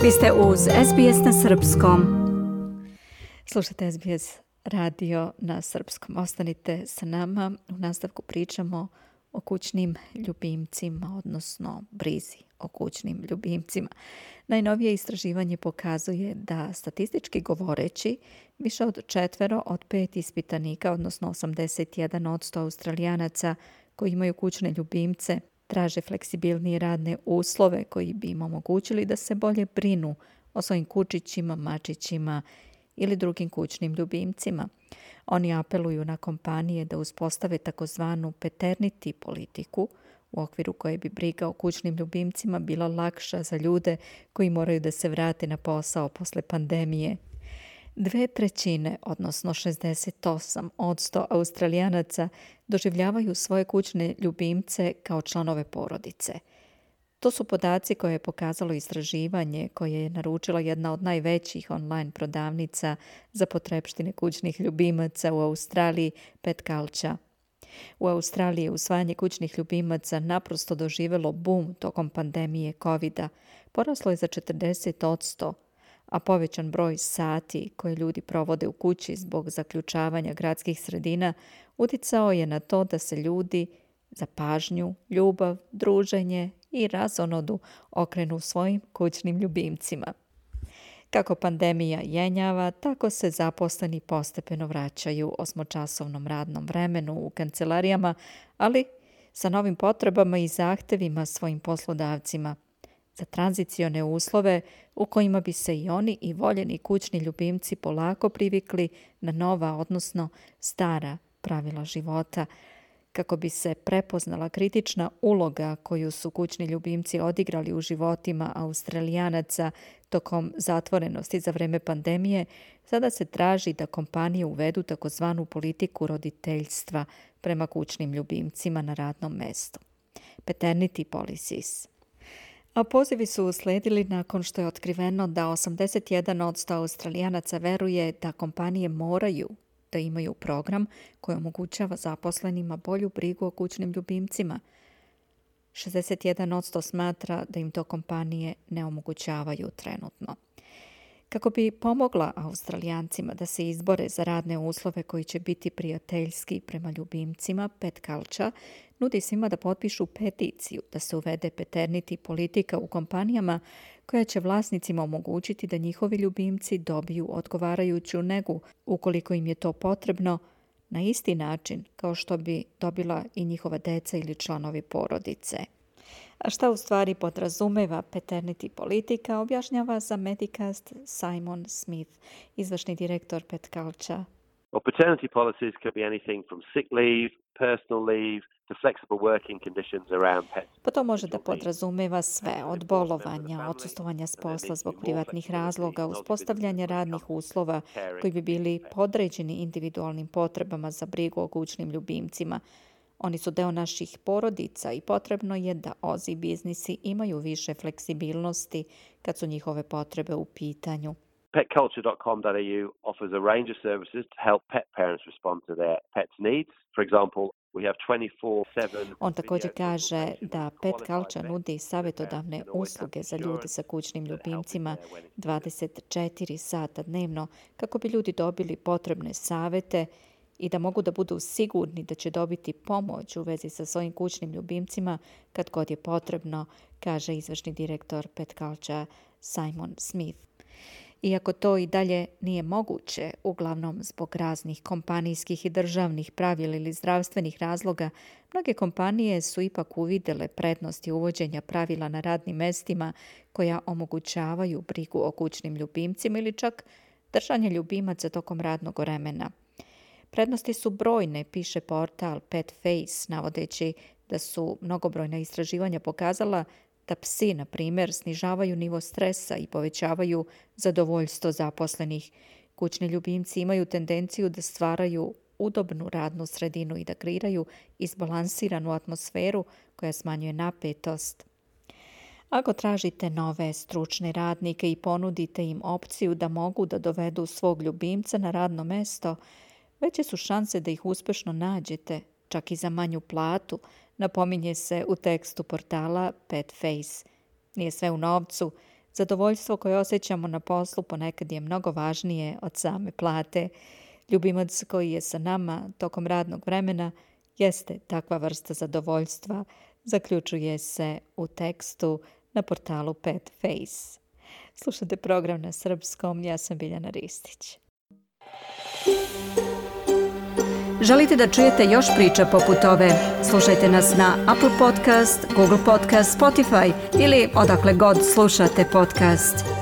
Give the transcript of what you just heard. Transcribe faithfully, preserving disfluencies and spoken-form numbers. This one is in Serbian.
Vi ste uz S B S na srpskom. Slušajte S B S radio na srpskom. Ostanite sa nama. U nastavku pričamo o kućnim ljubimcima, odnosno brizi o kućnim ljubimcima. Najnovije istraživanje pokazuje da, statistički govoreći, više od četvero od pet ispitanika, odnosno osamdeset jedan posto Australijanaca koji imaju kućne ljubimce, traže fleksibilnije radne uslove koji bi im omogućili da se bolje brinu o svojim kučićima, mačićima ili drugim kućnim ljubimcima. Oni apeluju na kompanije da uspostave takozvanu paternity politiku, u okviru koje bi briga o kućnim ljubimcima bila lakša za ljude koji moraju da se vrate na posao posle pandemije. Dve trećine, odnosno šezdeset osam posto Australijanaca doživljavaju svoje kućne ljubimce kao članove porodice. To su podaci koje je pokazalo istraživanje koje je naručila jedna od najvećih online prodavnica za potrepštine kućnih ljubimaca u Australiji, Pet Culture. U Australiji je usvajanje kućnih ljubimaca naprosto doživjelo bum tokom pandemije kovida. Poraslo je za četrdeset posto, a povećan broj sati koje ljudi provode u kući zbog zaključavanja gradskih sredina uticao je na to da se ljudi za pažnju, ljubav, druženje i razonodu okrenu svojim kućnim ljubimcima. Kako pandemija jenjava, tako se zaposleni postepeno vraćaju osmočasovnom radnom vremenu u kancelarijama, ali sa novim potrebama i zahtevima svojim poslodavcima za tranzicione uslove u kojima bi se i oni i voljeni kućni ljubimci polako privikli na nova, odnosno stara pravila života, kako bi se prepoznala kritična uloga koju su kućni ljubimci odigrali u životima Australijanaca tokom zatvorenosti za vreme pandemije. Sada se traži da kompanije uvedu takozvanu politiku roditeljstva prema kućnim ljubimcima na radnom mestu. Paternity policies. A pozivi su usledili nakon što je otkriveno da osamdeset jedan posto Australijanaca veruje da kompanije moraju da imaju program koji omogućava zaposlenima bolju brigu o kućnim ljubimcima. šezdeset jedan posto smatra da im to kompanije ne omogućavaju trenutno. Kako bi pomogla Australijancima da se izbore za radne uslove koji će biti prijateljski prema ljubimcima, Pet Culture nudi svima da potpišu peticiju da se uvede paternity politika u kompanijama koja će vlasnicima omogućiti da njihovi ljubimci dobiju odgovarajuću negu ukoliko im je to potrebno, na isti način kao što bi dobila i njihova deca ili članovi porodice. A šta u stvari podrazumeva paternity politika, objašnjava za Medicast Simon Smith, izvršni direktor Pet Culture. Well, paternity policies could be anything from sick leave, personal leave, to flexible working conditions around pets. Pa to može da podrazumeva sve, od bolovanja, odsustovanja s posla zbog privatnih razloga, uspostavljanja radnih uslova koji bi bili podređeni individualnim potrebama za brigu o kućnim ljubimcima. Oni su deo naših porodica i potrebno je da ozi biznisi imaju više fleksibilnosti kad su njihove potrebe u pitanju. pet culture dot com dot a u offers a range of services to help pet parents respond to their pets' needs. For example, we have twenty-four seven. On također kaže da Pet Culture nudi savjetodavne usluge za ljude sa kućnim ljubimcima dvadeset četiri sata dnevno kako bi ljudi dobili potrebne savjete i da mogu da budu sigurni da će dobiti pomoć u vezi sa svojim kućnim ljubimcima kad god je potrebno, kaže izvršni direktor Pet Culture Simon Smith. Iako to i dalje nije moguće, uglavnom zbog raznih kompanijskih i državnih pravila ili zdravstvenih razloga, mnoge kompanije su ipak uvidjele prednosti uvođenja pravila na radnim mestima koja omogućavaju brigu o kućnim ljubimcima ili čak držanje ljubimaca tokom radnog vremena. Prednosti su brojne, piše portal Pet Face, navodeći da su mnogobrojna istraživanja pokazala da psi, na primjer, snižavaju nivo stresa i povećavaju zadovoljstvo zaposlenih. Kućni ljubimci imaju tendenciju da stvaraju udobnu radnu sredinu i da kreiraju izbalansiranu atmosferu koja smanjuje napetost. Ako tražite nove stručne radnike i ponudite im opciju da mogu da dovedu svog ljubimca na radno mesto, veće su šanse da ih uspešno nađete, čak i za manju platu, napominje se u tekstu portala Pet Face. Nije sve u novcu, Zadovoljstvo koje osjećamo na poslu ponekad je mnogo važnije od same plate. Ljubimac koji je sa nama tokom radnog vremena jeste takva vrsta zadovoljstva, zaključuje se u tekstu na portalu Pet Face. Slušate program na srpskom, ja sam Biljana Ristić. Želite da čujete još priča poput ove? Slušajte nas na Apple Podcast, Google Podcast, Spotify ili odakle god slušate podcast.